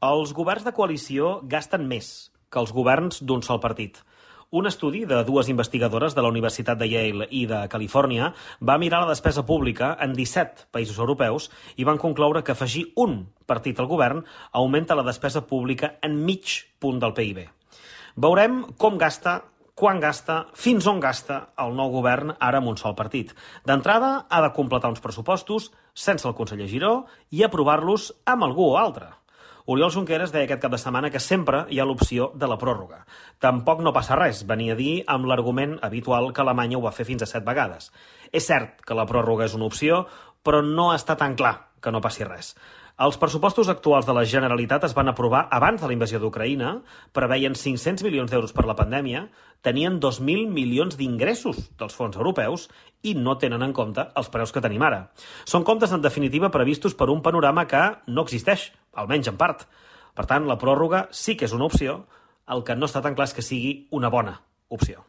Els governs de coalició gasten més que els governs d'un sol partit. Un estudi de dues investigadores de la Universitat de Yale i de Califòrnia va mirar la despesa pública en 17 països europeus i van concloure que afegir un partit al govern augmenta la despesa pública en mig punt del PIB. Veurem com gasta, quan gasta, fins on gasta el nou govern ara amb un sol partit. D'entrada, ha de completar uns pressupostos sense el conseller Giró i aprovar-los amb algú o altre. Oriol Junqueras deia aquest cap de setmana que sempre hi ha l'opció de la pròrroga. Tampoc no passa res, venia a dir amb l'argument habitual que Alemanya ho va fer fins a 7 vegades. És cert que la pròrroga és una opció, però no està tan clar que no passi res. Els pressupostos actuals de la Generalitat es van aprovar abans de la invasió d'Ucraïna, preveien 500 milions d'euros per la pandèmia, tenien 2.000 milions d'ingressos dels fons europeus i no tenen en compte els preus que tenim ara. Són comptes, en definitiva, previstos per un panorama que no existeix, almenys en part. Per tant, la pròrroga sí que és una opció, el que no està tan clar és que sigui una bona opció.